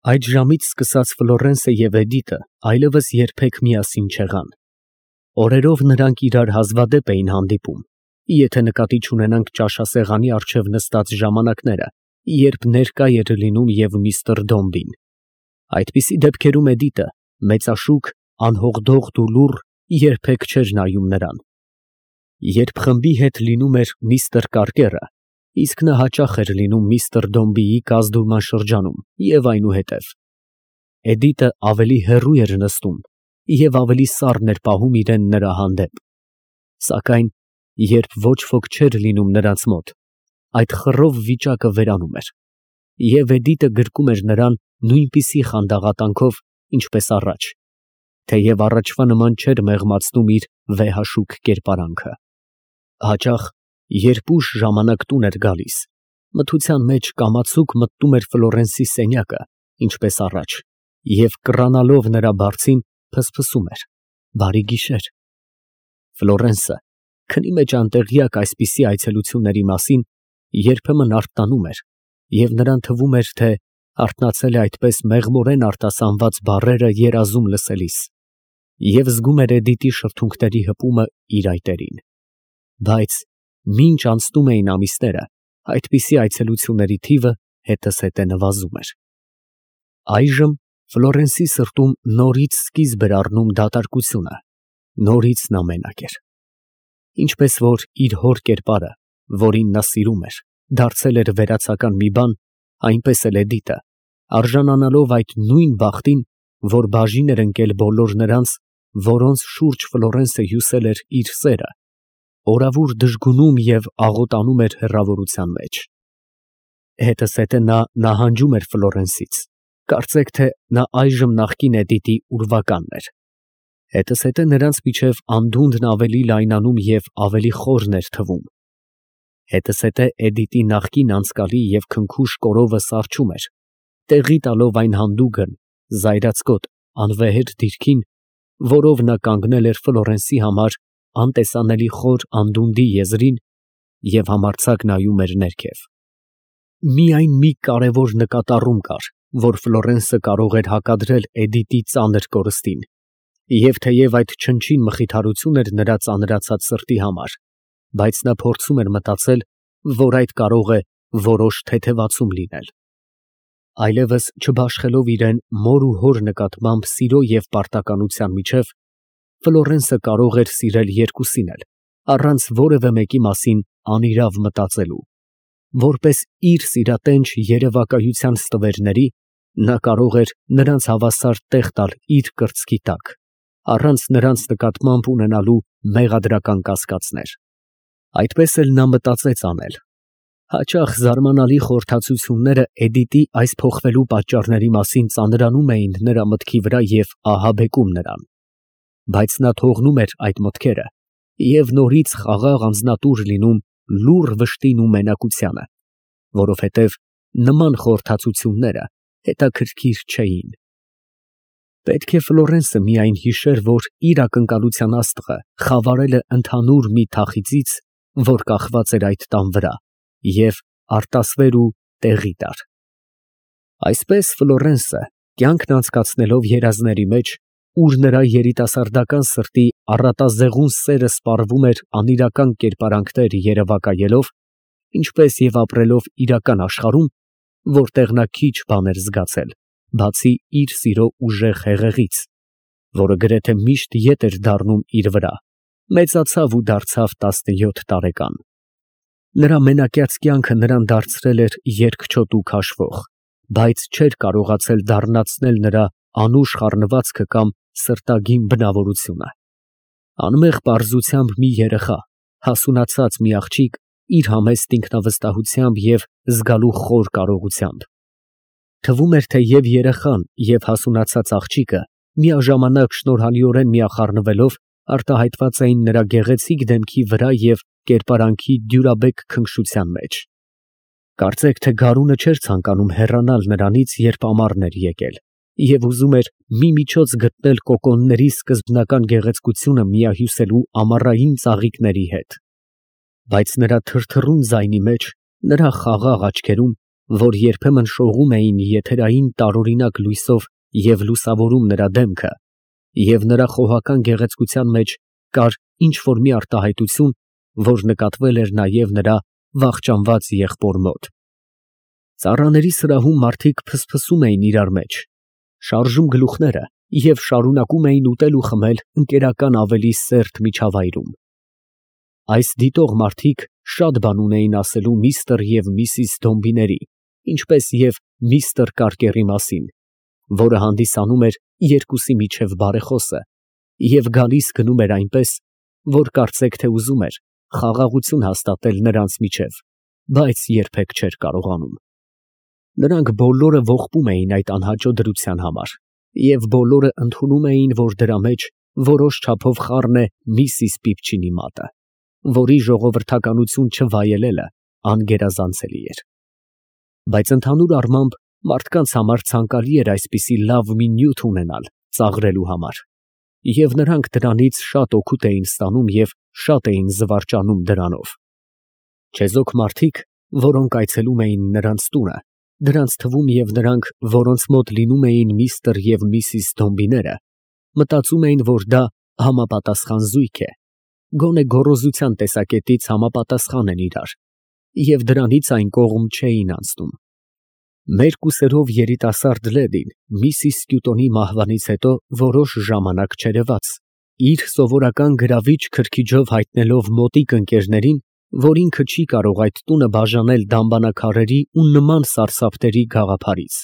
Այդ ժամից սկսած Ֆլորենսը և Էդիտը այլևս երբեք միասին չեղան։ Օրերով նրանք իրար հազվադեպ էին հանդիպում, եթե նկատի չունենանք ճաշասեղանի առջև նստած ժամանակները, երբ ներկա էր լինում և միստր Դոմբին։ Այդպիսի դեպքերում Էդիտը, մեծաշուք, անհողդողդ ու լուռ, երբեք չէր նայում նրան։ Երբ խմբի հետ լինում էր միստր Կարկերը, իսկ նա հաճախ էր լինում միստր Դոմբիի կազդուրման շրջանում և այնուհետև, Էդիտը ավելի հեռու էր նստում և ավելի սառն էր պահում իրան նրա հանդեպ։ Սակայն երբ ոչ ոք չէր լինում նրանց մոտ, այդ խռով վիճակը վերանում էր, և Էդիտը գրկում էր նրան նույնպիսի խանդաղատանքով, ինչպես առաջ, թեև առաջվա նման չէր մեղմացնում իր վեհաշուք կերպարանքը։ Հաճախ, երբ ուշ ժամանակ տուն էր գալիս, մթության մեջ կամացուկ մտնում էր Ֆլորենսի սենյակը, ինչպես առաջ, և կռանալով նրա բարձին, ֆսֆսում էր. «Բարի գիշեր»։ Ֆլորենսը, քնի մեջ անտեղյակ այսպիսի այցելությունների մասին, երբեմն արթնանում էր, և նրան թվում էր, թե արթնացել է այդպես մեղմորեն արտասանված բառերը երազում լսելիս, և զգում էր Էդիտի շրթունքների հպումը իր այտերին։ Բայց մինչ անցնում էին ամիսները, այդպիսի այցելությունների թիվը հետզհետե նվազում էր։ Այժմ Ֆլորենսի սրտում նորից սկիզբ էր առնում դատարկությունը, նորից նա մենակ էր։ Ինչպես որ իր հոր կերպարը, որին նա սիրում էր, դարձել էր վերացական մի բան, այնպես էլ Էդիտը, արժանանալով այդ նույն բախտին, որ բաժին էր ընկել բոլոր նրանց, որոնց շուրջ Ֆլորենսը հյուսել էր իր սերը, օրավուր դժգունում և աղոտանում էր հեռավորության մեջ։ Հետզհետե նա նահանջում էր Ֆլորենսից, կարծեք թե նա այժմ նախկին Էդիտի ուրվականն էր։ Հետզհետե նրանց միջև անդունդն ավելի լայնանում և ավելի խորն էր թվում։ Հետզհետե Էդիտի նախկին անցկալի և քնքուշ կորովը սառչում էր, տեղի տալով այն հանդուգն, զայրացկոտ, անվեհեր դիրքին, որով նա կանգնել էր Ֆլորենսի համար անտեսանելի խոր անդունդի եզրին և համարձակ նայում էր ներքև։ Միայն մի կարևոր նկատառում կար, որ Ֆլորենսը կարող էր հակադրել Էդիտի ծանր կորստին, և թեև այդ չնչին մխիթարություն էր նրա ծանրացած սրտի համար, բայց նա փորձում էր մտածել, որ այդ կարող է որոշ թեթևացում լինել։ Այլևս չբաշխելով իրան մոր ու հոր նկատմամբ սիրո և պարտականության միջև, Ֆլորենսը կարող էր սիրել երկուսին էլ, առանց որևէ մեկի մասին անիրավ մտածելու։ Որպես իր սիրատենչ երևակայության ստվերների, նա կարող էր նրանց հավասար տեղ տալ իր կրծքի տակ, առանց նրանց նկատմամբ ունենալու մեղադրական կասկածներ։ Այդպես էլ նա մտածեց անել։ Հաճախ զարմանալի խորհրդածությունները Էդիտի այս փոխվելու պատճառների մասին ծանրանում էին նրա մտքի վրա և ահաբեկում նրան։ Բայց նա թողնում էր այդ մտքերը և նորից խաղաղ անձնատուր լինում լուռ վշտին ու մենակությանը, որովհետև նման խորհրդածությունները հետաքրքիր չէին։ Պետք է Ֆլորենսը միայն հիշեր, որ իր ակնկալության աստղը խավարել է ընդհանուր մի թախիծից, որ կախված էր այդ տան վրա, և արտասվեր ու տեղի տար։ Այսպես Ֆլորենսը, կյանքն անցկացնելով երազների մեջ, ուր նրա երիտասարդական սրտի առատազեղուն սերը սպառվում էր անիրական կերպարանքներ երևակայելով, ինչպես և ապրելով իրական աշխարհում, որտեղ նա քիչ բան էր զգացել, բացի իր սիրո ուժեղ հեղեղից, որը գրեթե միշտ ետ էր դառնում իր վրա, մեծացավ ու դարձավ 17 տարեկան։ Նրա մենակյաց կյանքը նրան դարձրել էր երկչոտ ու քաշվող, բայց չէր կարողացել դառնացնել նրա անուշ խառնվածքը կամ սրտագին բնավորությունը։ Անմեղ պարզությամբ մի երեխա, հասունացած մի աղջիկ իր համեստ ինքնավստահությամբ և զգալու խոր կարողությամբ։ Թվում էր, թե և երեխան, և հասունացած աղջիկը միաժամանակ շնորհալիորեն միախառնվելով արտահայտված էին նրա գեղեցիկ դեմքի վրա և կերպարանքի դյուրաբեկ քնքշության մեջ։ Կարծեք թե գարունը չէր ցանկանում հեռանալ նրանից, երբ ամառն էր եկել, և ուզում էր մի միջոց գտնել կոկոնների սկզբնական գեղեցկությունը միահյուսելու ամառային ծաղիկների հետ։ Բայց նրա թրթռուն ձայնի մեջ, նրա խաղաղ աչքերում որ երբեմն շողում էին եթերային տարօրինակ լույսով և լուսավորում նրա դեմքը, և նրա խոհական գեղեցկության մեջ կար ինչ֊որ մի արտահայտություն, որ նկատվել էր նաև նրա վախճանված եղբոր մոտ։ Ծառաների սրահում մարդիկ փսփսում էին իրար մեջ, շարժում գլուխները և շարունակում էին ուտել ու խմել ընկերական ավելի սերտ միջավայրում։ Այս դիտող մարդիկ շատ բան ունեին ասելու միստր և միսիս Դոմբիների, ինչպես և միստր Կարկերի մասին, որը հանդիսանում էր երկուսի միջև բարեխոսը և գալիս գնում էր այնպես, որ կարծեք թե ուզում էր խաղաղություն հաստատել նրանց միջև, բայց երբեք չէր կարողանում։ Նրանք բոլորը ողբում էին այդ անհաճո դրության համար, և բոլորը ընդունում էին, որ դրա մեջ որոշ չափով խառն է միսիս Պիպչինի մատը, որի ժողովրդականություն չվայելելը անգերազանցելի էր։ Բայց ընդհանուր առմամբ մարդկանց համար ցանկալի էր այսպիսի լավ մի նյութ ունենալ ծաղրելու համար, և նրանք դրանից շատ օգուտ էին ստանում և շատ էին զվարճանում դրանով։ Չեզոք մարդիկ, որոնք այցելում էին նրանց տունը, դրանց թվում և նրանք, որոնց մոտ լինում էին միստր և միսիս Դոմբիները, մտածում էին, որ դա համապատասխան զույգ է, գոնե գոռոզության տեսակետից համապատասխան են իրար, և դրանից այն կողմ չէին անցնում։ Մեկ ուսերով երիտասարդ լեդին միսիս Սկյուտոնի մահվանից հետո որոշ ժամանակ չերևաց, իր սովորական գրավիչ քրքիջով հայտնելով մոտիկ ընկերներին, որ ինքը չի կարող այդ տունը բաժանել դամբարանաքարերի ու նման սարսափների գաղափարից։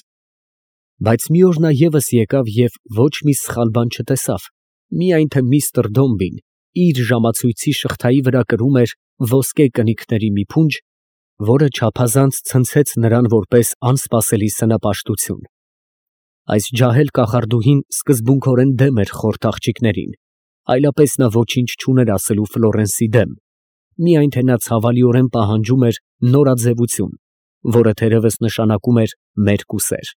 Բայց մի օր նա ևս եկավ և ոչ մի սխալ բան չտեսավ, միայն թե միստր Դոմբին իր ժամացույցի շղթայի վրա կրում էր ոսկե կնիքների մի փունջ, որը չափազանց ցնցեց նրան որպես անսպասելի սնապաշտություն։ Այս ջահել կախարդուհին սկզբունքորեն դեմ էր խորթ աղջիկներին, այլապես նա ոչինչ չուներ ասելու Ֆլորենսի դեմ, միայն թե նա ցավալիորեն պահանջում էր նորաձևություն, որը թերևս նշանակում էր մերկ ուսեր։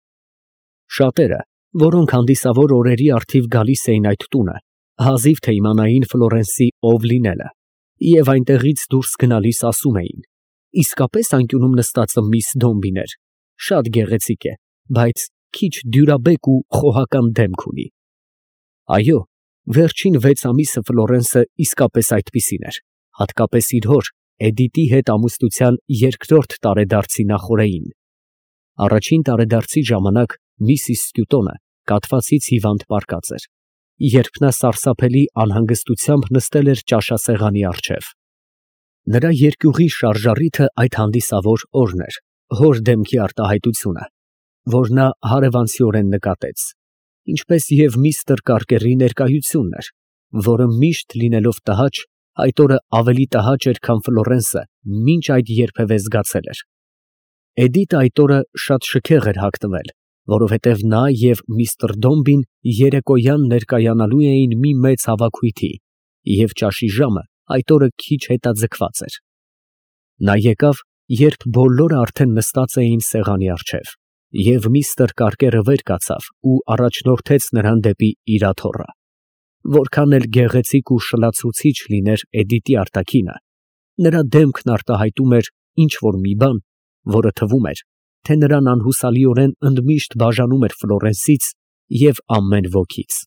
Շատերը, որոնք հանդիսավոր օրերի առթիվ գալիս էին այդ տունը, հազիվ թե իմանային Ֆլորենսի ով լինելը, և այնտեղից դուրս գնալիս ասում էին. «Իսկապես անկյունում նստածը միս Դոմբին էր, շատ գեղեցիկ է, բայց քիչ դյուրաբեկ ու խոհական դեմք ունի»։ Այո, վերջին 6 ամիսը Ֆլորենսը իսկապես այդպիսին էր, հատկապես իր հոր Էդիտի հետ ամուսնության երկրորդ տարեդարձի նախօրեին։ Առաջին տարեդարձի ժամանակ միսիս Սկյուտոնը կաթվածից հիվանդ պառկած էր, երբ նա սարսափելի անհանգստությամբ նստել էր ճաշասեղանի առջև։ Նրա երկյուղի շարժառիթը այդ հանդիսավոր օրն էր, հոր դեմքի արտահայտությունը, որ նա հարևանցիորեն նկատեց, ինչպես և միստր Կարկերի ներկայությունն էր, որը միշտ լինելով տհաճ, այդ օրը ավելի տհաճ էր, քան Ֆլորենսը մինչ այդ երբևէ զգացել էր։ Էդիտը այդ օրը շատ շքեղ էր հագնվել, որովհետև նա և միստր Դոմբին երեկոյան ներկայանալու էին մի մեծ հավաքույթի, և ճաշի ժամը այդ օրը քիչ հետաձգված էր։ Նա եկավ, երբ բոլորը արդեն նստած էին սեղանի առջև, և միստր Կարկերը վեր կացավ ու առաջնորդեց նրան դեպի իր աթոռը։ Որքան էլ գեղեցիկ ու շլացուցիչ լիներ Էդիտի արտաքինը, նրա դեմքն արտահայտում էր ինչ֊որ մի բան, որը թվում էր, թե նրան անհուսալիորեն ընդմիշտ բաժանում էր Ֆլորենսից և ամեն ոքից։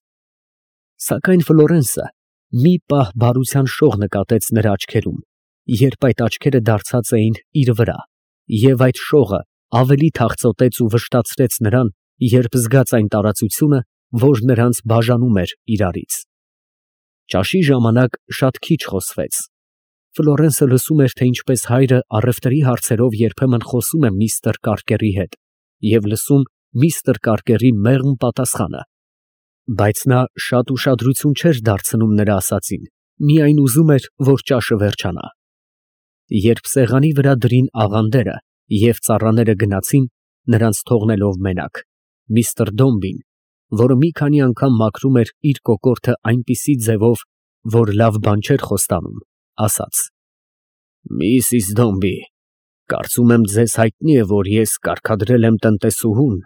Սակայն Ֆլորենսը մի պահ բարության շող նկատեց նրա աչքերում, երբ այդ աչքերը դարձած էին իր վրա, և այդ շողը ավելի թախծոտեց ու վշտացրեց նրան, երբ զգաց այն տարածությունը, որ նրանց բաժանում էր իրարից։ Ճաշի ժամանակ շատ քիչ խոսվեց։ Ֆլորենսը լսում էր, թե ինչպես հայրը առևտրի հարցերով երբեմն խոսում է միստր Կարկերի հետ, և լսում միստր Կարկերի մեղմ պատասխանը, բայց նա շատ ուշադրություն չէր դարձնում նրա ասածին, միայն ուզում էր, որ ճաշը վերջանա։ Երբ սեղանի վրա դրին աղանդերը և ծառաները գնացին, նրանց թողնելով մենակ, միստր Դոմբին, որը մի քանի անգամ մաքրում էր իր կոկորդը այնպիսի ձևով, որ լավ բան չէր խոստանում, ասաց. «Միսիս Դոմբի, կարծում եմ ձեզ հայտնի է, որ ես կարգադրել եմ տնտեսուհուն,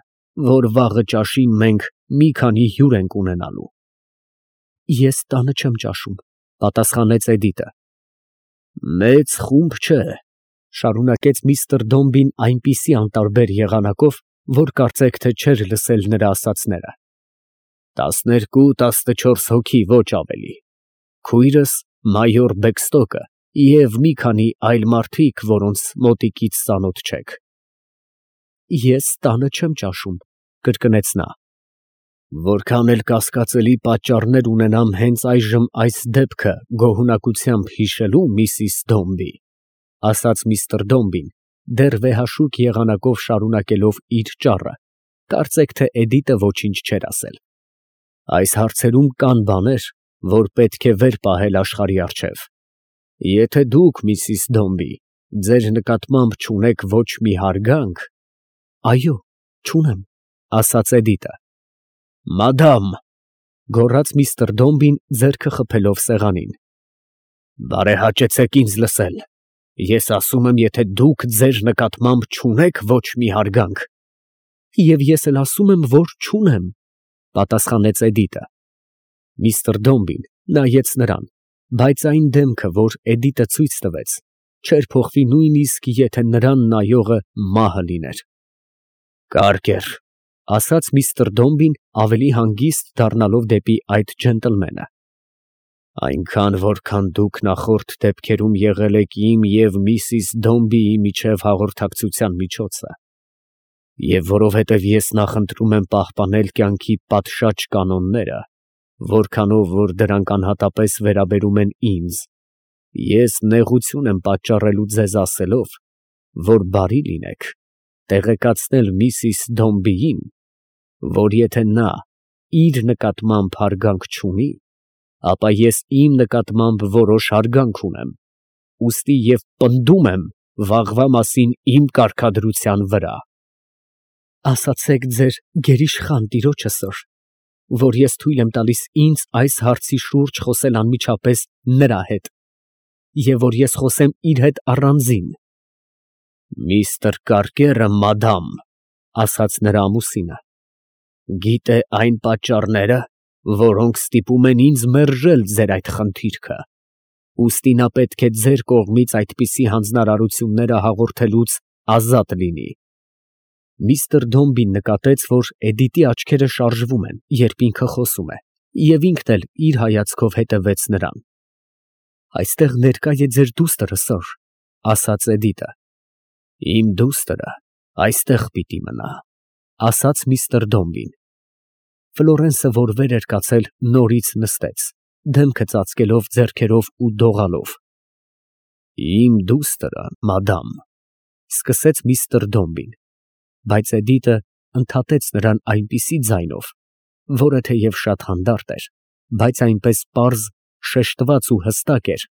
որ վաղը ճաշին մենք մի քանի հյուր ենք ունենալու»։ «Ես տանը չեմ ճաշում», ֊ պատասխանեց Էդիտը։ «Մեծ խումբ չէ, Շարունակեց միստր Դոմբին այնպիսի անտարբեր եղանակով, որ կարծեք թե չէր լսել նրա ասածները։ 12-14 հոգի, ոչ ավելի։ Քույրս մայոր Բեքստոկը և մի քանի այլ մարդիկ, որոնց մոտիկից ծանոթ չեք։ Ես տանը չեմ ճաշում, կրկնեց նա։ Որքան էլ կասկածելի պատճառներ ունենամ հենց այժմ այս դեպքը գոհունակությամբ հիշելու, միսիս Դոմբի, ասաց միստր Դոմբին, դեռ վեհաշուկ եղանակով շարունակելով իր ճառը, կարծեք թե Էդիտը ոչինչ չէր ասել։ Այս հարցերում կան բաներ, որ պետք է վեր պահել աշխարհի առջև։ Եթե դուք, միսիս Դոմբի, ձեր նկատմամբ չունեք ոչ մի հարգանք… Այո, չունեմ, ասաց Էդիտը։ Մադամ, գոռաց միստր Դոմբին, ձեռքը խփելով սեղանին, բարեհաճեցեք ինձ լսել։ Ես ասում եմ, եթե դուք ձեր նկատմամբ չունեք ոչ մի հարգանք… Եվ ես էլ ասում եմ, որ չունեմ, պատասխանեց Էդիտը։ Միստր Դոմբին նայեց նրան, բայց այն դեմքը, որ Էդիտը ցույց տվեց, չէր փոխվի նույնիսկ եթե նրան նայողը մահը լիներ։ Կարգեր, ասաց միստր Դոմբին ավելի հանգիստ դառնալով դեպի այդ ջենտլմենը։ Այնքան, որքան դուք նախորդ դեպքերում եղել եք իմ և միսիս Դոմբիի միջև հաղորդակցության միջոցը, և որովհետև ես նախընտրում եմ պահպանել կյանքի պատշաճ կանոնները, որքանով որ դրանք անհատապես վերաբերում են ինձ, ես նեղություն եմ պատճառելու ձեզ ասելով, որ բարի լինեք տեղեկացնել միսիս Դոմբիին, որ եթե նա իր նկատմամբ հարգանք չունի, ապա ես իմ նկատմամբ որոշ հարգանք ունեմ, ուստի և պնդում եմ վաղվա մասին իմ կարգադրության վրա։ Ասացեք ձեր գերիշխան տիրոջը, սըր, որ ես թույլ եմ տալիս ինձ այս հարցի շուրջ խոսել անմիջապես նրա հետ, և որ ես խոսեմ իր հետ առանձին։ Միստր Կարկերը, մադամ, ասաց նրա ամուսինը, գիտե այն պատճառները, որոնք ստիպում են ինձ մերժել ձեր այդ խնդիրքը, ուստի նա պետք է ձեր կողմից այդպիսի հանձնարարությունները հաղորդելուց ազատ լինի։ Միստր Դոմբին նկատեց, որ Էդիտի աչքերը շարժվում են, երբ ինքը խոսում է, և ինքն էլ իր հայացքով հետևեց նրան։ Այստեղ ներկա է ձեր դուստրը, սըր, ասաց Էդիտը։ Իմ դուստրը այստեղ պիտի մնա, ասաց միստր Դոմբին։ Ֆլորենսը, որ վեր էր կացել, նորից նստեց, դեմքը ծածկելով ձեռքերով ու դողալով։ Իմ դուստրը, մադամ, սկսեց միստր Դոմբին, բայց Էդիտը ընդհատեց նրան այնպիսի ձայնով, որը թեև շատ հանդարտ էր, բայց այնպես պարզ, շեշտված ու հստակ էր,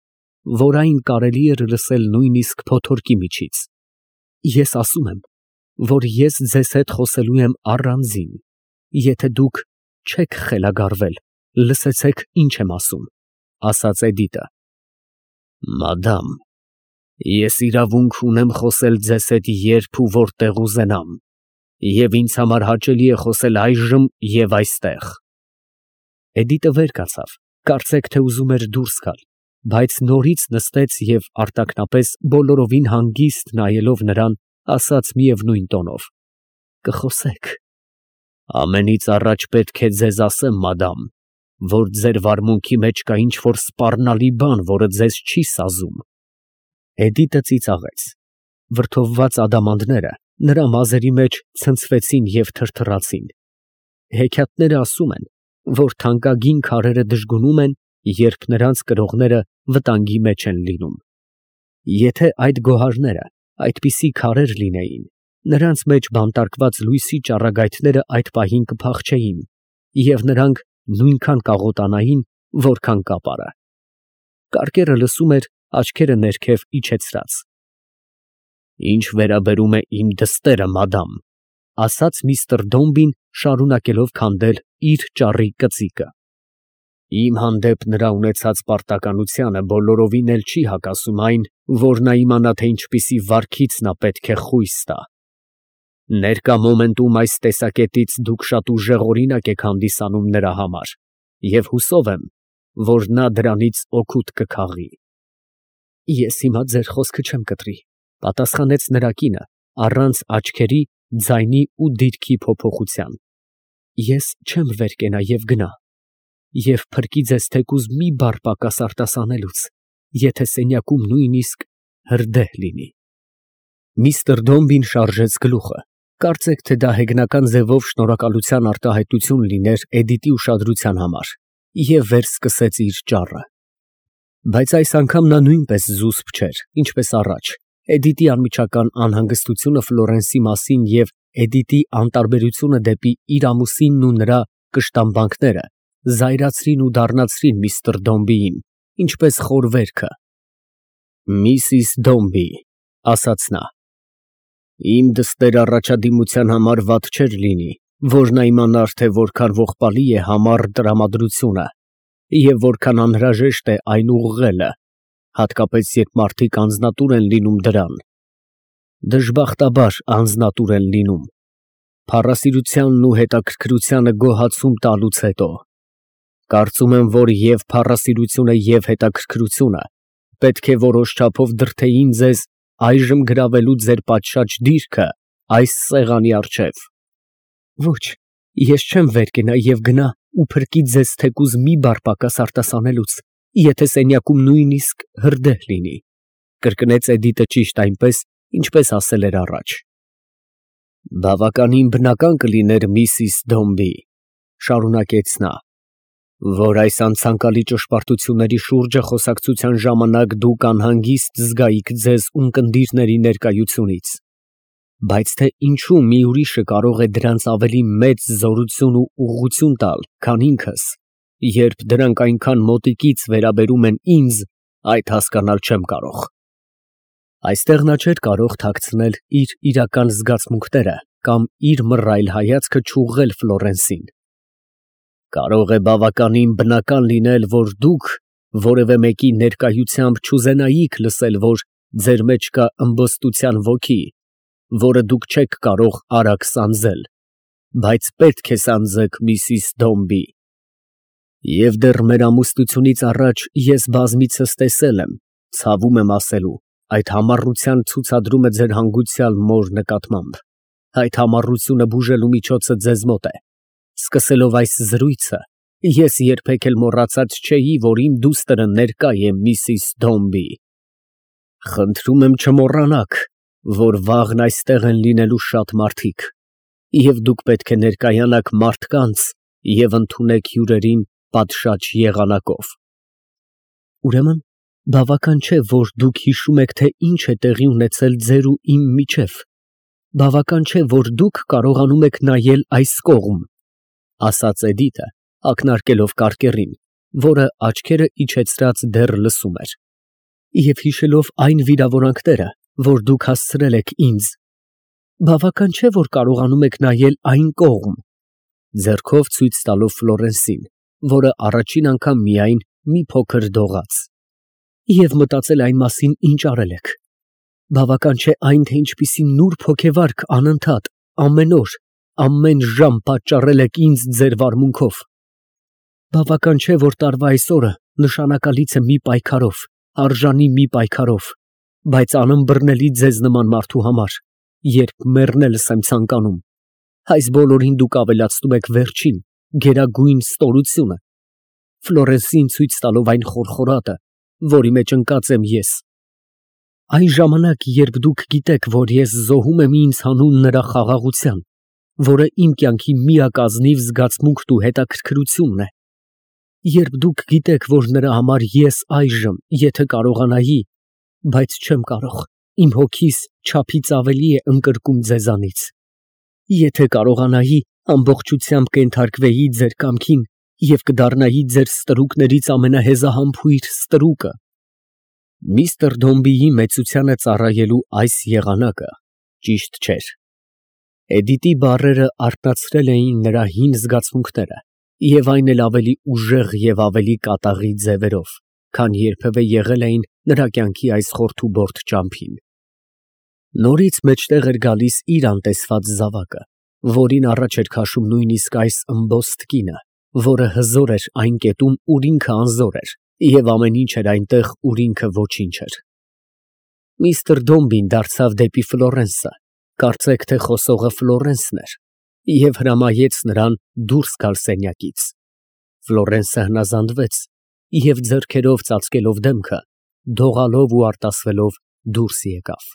որ այն կարելի էր լսել նույնիսկ փոթորկի միջից։ Ես ասում եմ, որ ես ձեզ հետ խոսելու եմ առանձին, եթե դուք չեք խելագարվել, լսեցեք, ինչ եմ ասում, ասաց Էդիտը։ Մադամ, ես իրավունք ունեմ խոսել ձեզ հետ երբ ու որտեղ ուզենամ, և ինձ համար հաճելի է խոսել այժմ և այստեղ։ Էդիտը վեր կացավ, կարծեք թե ուզում էր դուրս գալ, բայց նորից նստեց և արտաքնապես բոլորովին հանգիստ նայելով նրան, ասաց միևնույն տոնով. Կխոսեք։ Ամենից առաջ պետք է ձեզ ասեմ, մադամ, որ ձեր վարմունքի մեջ կա ինչ-որ սպառնալի բան, որը ձեզ չի սազում։ Էդիտը ծիծաղեց։ Վրդովված ադամանդները նրա մազերի մեջ ցնցվեցին և թրթռացին։ Հեքիաթները ասում են, որ թանկագին քարերը դժգունում են, երբ նրանց կրողները վտանգի մեջ են լինում։ Եթե այդ գոհարները այդպիսի քարեր լինեին, նրանց մեջ բանտարկված լույսի ճառագայթները այդ պահին կփախչեին, և նրանք նույնքան կաղոտանային, որքան կապարը։ Կարկերը լսում էր, աչքերը ներքև իջեցրած։ Ինչ վերաբերում է իմ դստերը, մադամ, ասաց միստր Դոմբին, շարունակելով քանդել իր ճառի կծիկը։ Իմ հանդեպ նրա ունեցած պարտականությանը բոլորովին էլ չի հակասում այն, որ նա իմանա, թե ինչպիսի վարքից նա պետք է խույս տա։ Ներկա մոմենտում այս տեսակետից դուք շատ ուժեղօրինակ եք հանդիսանում նրա համար, և հուսով եմ, որ նա դրանից օգուտ կքաղի։ Ես հիմա ձեր խոսքը չեմ կտրի, Պատասխանեց նրա կինը, առանց աչքերի, ձայնի ու դիրքի փոփոխության. Ես չեմ վեր կենա և գնա, և փրկի ձեզ թեկուզ մի բառ պակաս արտասանելուց, եթե սենյակում նույնիսկ հրդեհ լինի։ Միսթր Դոմբին շարժեց գլուխը, կարծեք թե դա հեգնական ձևով շնորհակալության արտահայտություն լիներ Էդիտի ուշադրության համար, և վերսկսեց իր ճառը։ Բայց այս անգամ նա նույնպես զուսպ չէր, ինչպես առաջ։ Էդիտի անմիջական անհանգստությունը Ֆլորենսի մասին և Էդիտի անտարբերությունը դեպի իր ամուսինն ու նրա կշտամբանքները զայրացրին ու դառնացրին միսթր Դոմբիին, ինչպես խորվերքը։ «Միսիս Դոմբի», ասաց նա, իմ դստեր առաջադիմության համար վատ չէր լինի, որ նա իմանար, թե որքան ողբալի է համառ տրամադրությունը և որքան անհրաժեշտ է այն ուղղելը, հատկապես երբ մարդիկ անձնատուր են լինում դրան։ Դժբախտաբար անձնատուր են լինում, փառասիրությանն ու հետաքրքրությանը գոհացում տալուց հետո։ Կարծում եմ, որ և փառասիրությունը, և հետաքրքրությունը պետք է որոշ չափով դրդեին ձեզ այժմ գրավելու ձեր պատշաճ դիրքը այս սեղանի առջև։ Ոչ, ես չեմ վեր կենա և գնա ու փրկի ձեզ թեկուզ մի բառ պակաս արտասանելուց, եթե սենյակում նույնիսկ հրդեհ լինի, կրկնեց Էդիտը ճիշտ այնպես, ինչպես ասել էր առաջ։ Բավականին բնական կլիներ, միսիս Դոմբի, շարունակեց նա, որ այս անցանկալի ճշմարտությունների շուրջը խոսակցության ժամանակ դուք անհանգիստ զգայիք ձեզ ունկնդիրների ներկայությունից, բայց թե ինչու մի ուրիշը կարող է դրանց ավելի մեծ զորություն ու ուղղություն տալ, քան ինքս, երբ դրանք այնքան մոտիկից վերաբերում են ինձ, այդ հասկանալ չեմ կարող։ Այստեղ նա չէր կարող թաքցնել իր իրական զգացմունքները կամ իր մռայլ հայացքը չուղղել Ֆլորենսին։ Կարող է բավականին բնական լինել, որ դուք որևէ մեկի ներկայությամբ չուզենայիք լսել, որ ձեր մեջ կա ըմբոստության ոգի, որը դուք չեք կարող արագ սանձել, բայց պետք է սանձեք, միսիս Դոմբի։ Եվ դեռ մեր ամուսնությունից առաջ ես բազմիցս տեսել եմ, ցավում եմ ասելու, այդ համառության ցուցադրումը ձեր հանգուցյալ մոր նկատմամբ։ Այդ համառությունը բուժելու միջոցը ձեզ մոտ է։ Սկսելով այս զրույցը, ես երբեք էլ մոռացած չէի, որ իմ դուստրը ներկա է, միսիս Դոմբի։ Խնդրում եմ չմոռանաք, որ վաղն այստեղ են լինելու շատ մարդիկ, և դուք պետք է ներկայանաք մարդկանց և ընդունեք հյուրերին պատշաճ եղանակով։ Ուրեմն, բավական չէ, որ դուք հիշում եք, թե ինչ է տեղի ունեցել ձեր ու իմ միջև։ Բավական չէ, որ դուք կարողանում եք նայել այս կողմ, ասաց Էդիտը, ակնարկելով կարկերին, որը աչքերը իջեցրած դեռ լսում էր, և հիշելով այն վիրավորանքները, որ դուք հասցրել եք ինձ։ Բավական չէ, որ կարողանում եք նայել այն կողմ, ձեռքով ցույց տալով Ֆլորենսին, որը առաջին անգամ միայն մի փոքր դողաց, և մտածել այն մասին, ինչ արել եք։ Բավական չէ այն, թե ինչպիսի նուրբ հոգեվարք անընդհատ, ամեն օր, ամեն ժամ պատճառել եք ինձ ձեր վարմունքով։ Բավական չէ, որ տարվա այս օրը նշանակալից է մի պայքարով, արժանի մի պայքարով, բայց անըմբռնելի ձեզ նման մարդու համար, երբ մեռնելս եմ ցանկանում, այս բոլորին դուք ավելացնում եք վերջին, գերագույն ստորությունը, Ֆլորենսին ցույց տալով այն խորխորատը, որի մեջ ընկած եմ ես։ Այն ժամանակ, երբ դուք գիտեք, որ ես զոհում եմ ինձ հանուն նրա խաղաղության, որը իմ կյանքի միակազնիվ զգացմունքն ու հետաքրքրությունն է, երբ դուք գիտեք, որ նրա համար ես այժմ, եթե կարողանայի, բայց չեմ կարող, իմ հոգիս չափից ավելի է ընկրկում ձեզանից, եթե կարողանայի, ամբողջությամբ կենթարկվեի ձեր կամքին և կդառնայի ձեր ստրուկներից ամենահեզահամբույր ստրուկը։ Միսթր Դոմբիի մեծությանը ծառայելու այս եղանակը ճիշտ չէր։ Էդիտի բառերը արթնացրել էին նրա հին զգացմունքները և այն էլ ավելի ուժեղ և ավելի կատաղի ձևերով, քան երբևէ եղել էին նրա կյանքի այս խորթուբորդ ճամփին։ Նորից մեջտեղ էր գալիս իր անտեսված զավակը, որին առաջ էր քաշում նույնիսկ այս ըմբոստ կինը, որը հզոր էր այն կետում, ուր ինքը անզոր էր, և ամեն ինչ էր այնտեղ, ուր ինքը ոչինչ էր։ Միստր Դոմբին դարձավ դեպի Ֆլորենսը, կարծեք թե խոսողը Ֆլորենսն էր, և հրամայեց նրան դուրս գալ սենյակից։ Ֆլորենսը հնազանդվեց և, ձեռքերով ծածկելով դեմքը, դողալով ու արտասվելով դուրս եկավ։